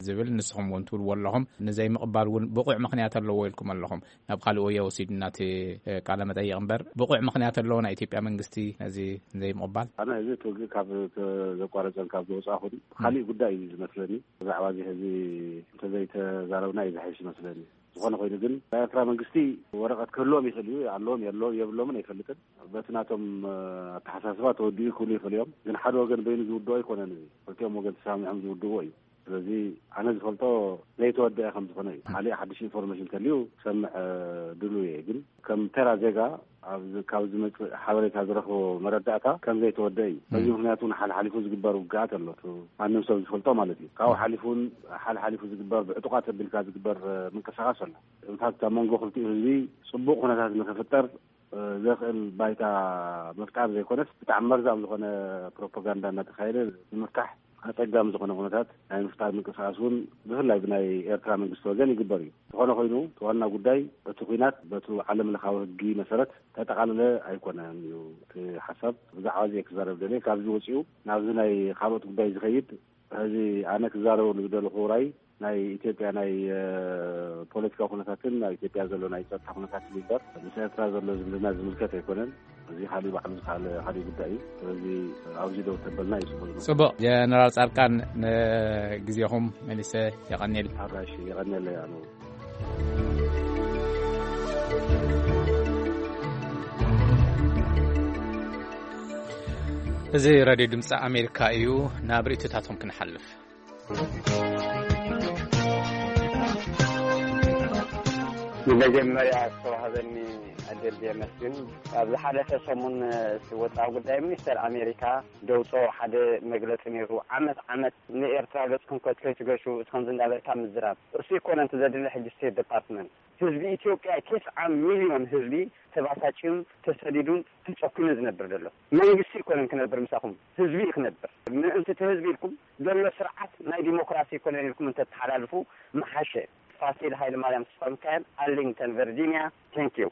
ዝብል ንስኹም እውን ትብልዎ ኣለኹም። ንዘይምቕባል እውን ብቑዕ ምኽንያት ኣለዎ ኢልኩም ኣለኹም። ናብ ካልእ ወዮ ወሲድና እቲ ቃለ መጠይቕ እምበር ብቑዕ ምኽንያት ኣለዎ ናይ ኢትዮጵያ መንግስቲ ነዚ ዘይምቕባል? ኣነ እዚ ትውግእ ካብ ዘቋረፀን ካብ ዝወፃኹን ካሊእ ጉዳይ እዩ ዝመስለኒ። ብዛዕባ እዚ ሕዚ እንተዘይተዛረብና እዩ ዝሓይሽ ይመስለኒ። ዝኾነ ኮይኑ ግን ናይ ኤርትራ መንግስቲ ወረቐት ክህልዎም ይኽእል እዩ፣ ኣለዎም የሎ-፣ የብሎምን ኣይፈልጥን። በቲ ናቶም ኣተሓሳስባ ተወዲኡ ክብሉ ይኽእሉ እዮም። ግን ሓደ ወገን በይኑ ዝውድኦ ኣይኮነን። እዚ ክልቲኦም ወገን ተሰማሚዖም ዝውድዎ እዩ። ስለዚ ኣነ ዝፈልጦ ዘይተወደአ ከም ዝኾነ እዩ። ካልእ ሓድሽ ኢንፎርሜሽን ተልዩ ክሰምዕ ድሉ እየ። ግን ከም ተራ ዜጋ ካብ ዝመፅእ ሓበሬታ ዝረኽቦ መረዳእታ ከም ዘይተወደአ እዩ። በዚ ምኽንያት እውን ሓልሓሊፉ ዝግበር ውግኣት ኣሎ። ማንም ሰብ ዝፈልጦ ማለት እዩ። ካብኡ ሓሊፉ እውን ሓልሓሊፉ ዝግበር ብዕጡቓት ኣቢልካ ዝግበር ምንቅስቃስ ኣሎ። ኢንፋክት ኣብ መንጎ ክልቲኡ ህዝቢ ፅቡቕ ኩነታት ንክፍጠር ዘኽእል ባይታ ምፍጣር ዘይኮነስ ብጣዕሚ መርዛም ዝኾነ ፕሮፓጋንዳ እናተኻየደ ንምፍታሕ ኣፀጋሚ ዝኾነ ኩነታት ናይ ምፍጣር ምንቅስቃስ እውን ብፍላይ ብናይ ኤርትራ መንግስቲ ወገን ይግበር እዩ። ዝኾነ ኮይኑ እቲ ዋና ጉዳይ እቲ ኩናት በቲ ዓለም ለኻዊ ህጊ መሰረት ተጠቓለለ ኣይኮነን እዩ እቲ ሓሳብ። ብዛዕባ እዚ ክዛረብ ደልየ። ካብዚ ወፂኡ ናብዚ ናይ ካልኦት ጉዳይ ዝኸይድ ሕዚ ኣነ ክዛረበሉ ዝደለኹ ራይ ናይ ኢትዮጵያ ናይ ፖለቲካዊ ኩነታትን ኣብ ኢትዮጵያ ዘሎ ናይ ፀጥታ ኩነታትን ይበር ምስ ኤርትራ ዘሎ ዝምድና ዝምልከት ኣይኮነን። እዚ ካሊእ ባዕሉ ዝካለ ካሊእ ጉዳይ እዩ። ስለዚ ኣብዚ ደው ተበልና እዩ ጽቡቅ ዝመስል። ጽቡቅ። ጀነራል ጻድቃን፣ ንግዜኹም መሊሰ የቐንየል። ኣራሽ የቐንየለይ ኣነ። እዚ ራድዮ ድምፂ ኣሜሪካ እዩ። ናብ ርእይቶታቶም ክንሓልፍ። ብመጀመርያ ዝተዋህበኒ ዕድል የመስግን። ኣብ ዝሓለፈ ሰሙን እቲ ወፃኢ ጉዳይ ሚኒስተር ኣሜሪካ ደውፅኦ ሓደ መግለፂ ነይሩ። ዓመት ዓመት ንኤርትራ ገፅኩም ከይትገሹ ከምዚ እንዳበልካ ምዝራብ እሱ ይኮነ እንተ ዘድሊ ሕጂ ስቴት ዲፓርትመንት ህዝቢ ኢትዮጵያ ቴስዓ ሚልዮን ህዝቢ ተባሳጭዩን ተሰዲዱን ተጨኩኑ ዝነብር ዘሎ መንግስቲ ይኮነን ክነብር ምሳኹም ህዝቢ እዩ ክነብር። ምእንቲ እቲ ህዝቢ ኢልኩም ዘሎ ስርዓት ናይ ዲሞክራሲ ይኮነን ኢልኩም እንተተሓላልፉ ምሓሸ። ፋሲል ሃይለ ማርያም ተስፋ ሚካኤል ኣርሊንግተን ቨርጂኒያ። Thank you።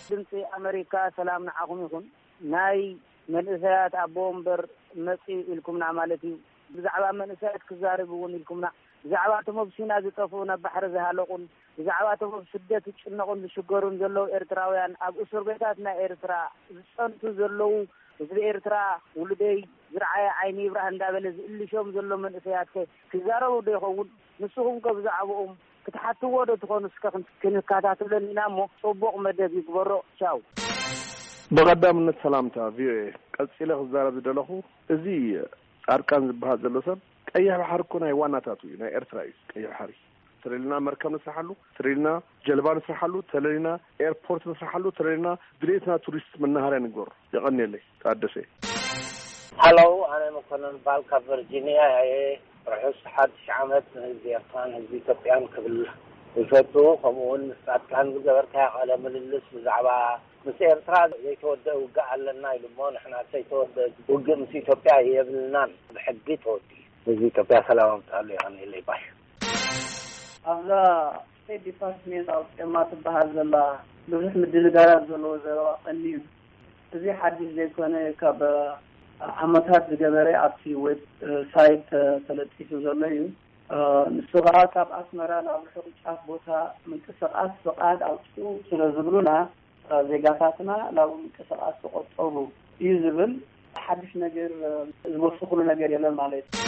ድምፂ ኣመሪካ ሰላም ንዓኹም ይኹን። ናይ መንእሰያት ኣቦ ወንበር መፂ ኢልኩምና ማለት እዩ። ብዛዕባ መንእሰያት ክዛረብ እውን ኢልኩምና። ብዛዕባ እቶም ኣብ ሲና ዝጠፍኡ፣ ናብ ባሕሪ ዝሃለቁን ብዛዕባ እቶም ኣብ ስደት ዝጭነቑን ዝሽገሩን ዘለዉ ኤርትራውያን፣ ኣብ እስር ቤታት ናይ ኤርትራ ዝጸንቱ ዘለዉ፣ ህዝቢ ኤርትራ ውሉደይ ዝረዓየ ዓይኒ ይብራህ እንዳበለ ዝእልሾም ዘሎ መንእሰያት ከ ክዛረቡ ዶ ይኸውን? ንስኹም ከ ብዛዕባኦም ክትሓትዎ ዶ ትኾኑ? እስከ ክን-፣ ክንከታተለን ኢና እሞ ጽቡቕ መደብ ይግበሮ። ቻው። ብቐዳምነት ሰላምታ ቪኦኤ። ቀጺለ ክዛረብ ዝደለኹ፣ እዚ ጻድቃን ዝበሃል ዘሎ ሰብ ቀይሕ ባሕሪ እኮ ናይ ዋናታቱ እዩ፣ ናይ ኤርትራ እዩ ቀይሕ ባሕሪ። ተደሊና መርከብ ንስርሓሉ፣ ተደሊና ጀልባ ንስርሓሉ፣ ተደሊና ኤርፖርት ንስርሓሉ፣ ተደሊና ድሌትና ቱሪስት መናሃርያ ንግበሩ። የቐንየለይ። ታደሰ። ሃሎ፣ ኣነ መኮነን ባል ካብ ቨርጂኒያ እየ። ርሑስ ሓድሽ ዓመት ንህዝቢ ኤርትራን ህዝቢ ኢትዮጵያን ክብል ይፈቱ። ከምኡ እውን ምስ ጻድቃን ዝገበርካዮ ቃለ ምልልስ ብዛዕባ ምስ ኤርትራ ዘይተወደአ ውግእ ኣለና ኢሉ እሞ ንሕና ዘይተወደአ ውግእ ምስ ኢትዮጵያ የብልናን። ብሕጊ ተወዲኡ። ህዝቢ ኢትዮጵያ ሰላም ኣምጽኣሉ። የቐንየለይ ባይ። ኣብዛ ስቴት ዲፓርትሜንት ኣውጺኦማ ትበሃል ዘላ ብዙሕ ምድንጋራት ዘለዎ ዘረባ ቀንዩ። እዚ ሓድሽ ዘይኮነ ካብ ዓመታት ዝገበረ ኣብቲ ዌብ ሳይት ተለጢፉ ዘሎ እዩ። ንሱ ኸዓ ካብ ኣስመራ ናብ ርሑቕ ጫፍ ቦታ ምንቅስቓስ ፍቓድ ኣውጽኡ ስለ ዝብሉና ዜጋታትና ናብኡ ምንቅስቓስ ተቖጠቡ እዩ ዝብል ሓድሽ ነገር ዝወስኽሉ ነገር የለን ማለት እዩ።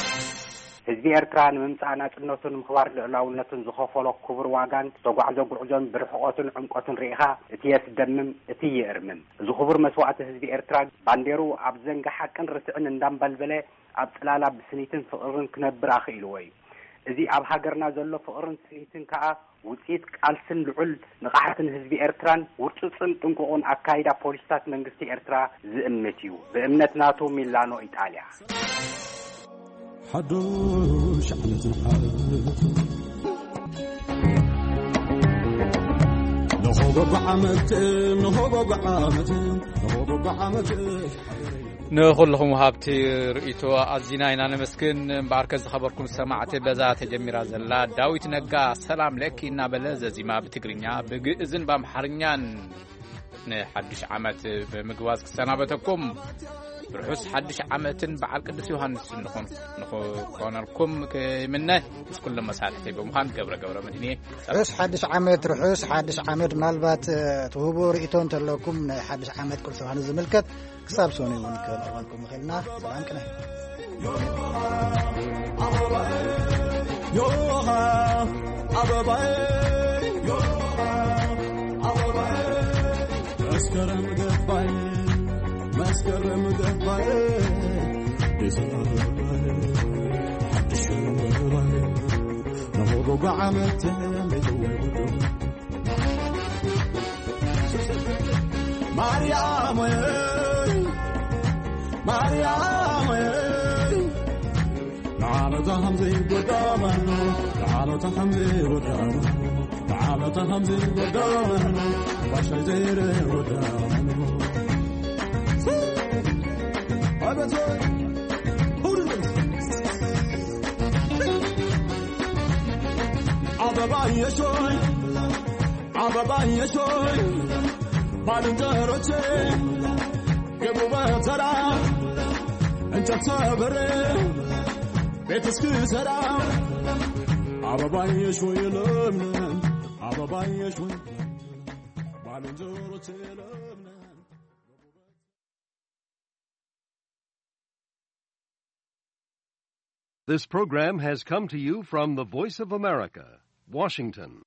ህዝቢ ኤርትራ ንምምጻእ ናጽነቱን ምኽባር ልዑላውነቱን ዝኸፈሎ ክቡር ዋጋን ዝተጓዕዞ ጉዕዞን ብርሕቐቱን ዕምቆቱን ርኢኻ እቲ የስደምም፣ እቲ የእርምም። እዚ ክቡር መስዋእቲ ህዝቢ ኤርትራ ባንዴሩ ኣብ ዘንጊ ሓቅን ርትዕን እንዳንበልበለ ኣብ ጽላላ ብስኒትን ፍቕርን ክነብር ኣኽኢልዎ እዩ። እዚ ኣብ ሃገርና ዘሎ ፍቕርን ስኒትን ከኣ ውጽኢት ቃልስን ልዑል ንቕሓትን ህዝቢ ኤርትራን ውርጹጽን ጥንቁቕን ኣካይዳ ፖሊስታት መንግስቲ ኤርትራ ዝእምት እዩ። ብእምነት ናቱ ሚላኖ ኢጣልያ። ሓዱሽ ዓመት ንዓመት ንሆጎጎ ዓመት ንሆጎጎ ዓመት ንሆጎጎ ዓመት። ንኹልኹም ወሃብቲ ርእይቶ ኣዚና ኢና ነመስግን። እምበኣርከ ዝኸበርኩም ሰማዕቲ፣ በዛ ተጀሚራ ዘላ ዳዊት ነጋ ሰላም ለኪ እናበለ ዘዚማ ብትግርኛ ብግእዝን ብኣምሓርኛን ንሓድሽ ዓመት ብምግባዝ ክሰናበተኩም ርሑስ ሓድሽ ዓመትን በዓል ቅዱስ ዮሃንስን ንኹን-፣ ንኽኾነልኩም ክምነ። ምስ ኩሎም መሳርሕተይ ብምዃን ገብረ ገብረ መድህን እየ። ርሑስ ሓድሽ ዓመት፣ ርሑስ ሓድሽ ዓመት። ምናልባት፣ እ፣ ትህቦ ርእይቶ እንተለኩም ናይ ሓድሽ ዓመት ቅዱስ ዮሃንስ ዝምልከት ክሳብ ሰኑይ እውን ክንረኽበልኩም ንኽእል ኢና። ሰላም ቅነ። ዮሃ ኣበባይ፣ ዮሃ ኣበባይ፣ መስከረም ገባይ፣ መስከረም ገባይ፣ ዲሰምበር ገባይ፣ ሓድሽ ገባይ፣ ንኹሉ ብዓመት ተመይተወ ጉዱ። ማርያም ወይ፣ ማርያም ወይ፣ ንዓመታ ከምዚ ይጎዳመኑ፣ ንዓመታ ከምዚ ይጎዳመኑ፣ ንዓመታ ከምዚ ይጎዳመኑ፣ ባሻይ ዘይረ ይጎዳመኑ። ኣበቶ፣ ሁሉ ኣበባ የሾይ፣ ኣበባ የሾይ፣ ባልንጀሮቼ፣ ግቡ በተራ፣ እንጨት ሰብሬ ቤት እስክሰራ፣ አበባዬ ሾይ ለምለም፣ አበባዬ ሾይ ለምለም፣ ባልንጀሮቼ ለምለም። This program has come to you from the Voice of America, Washington.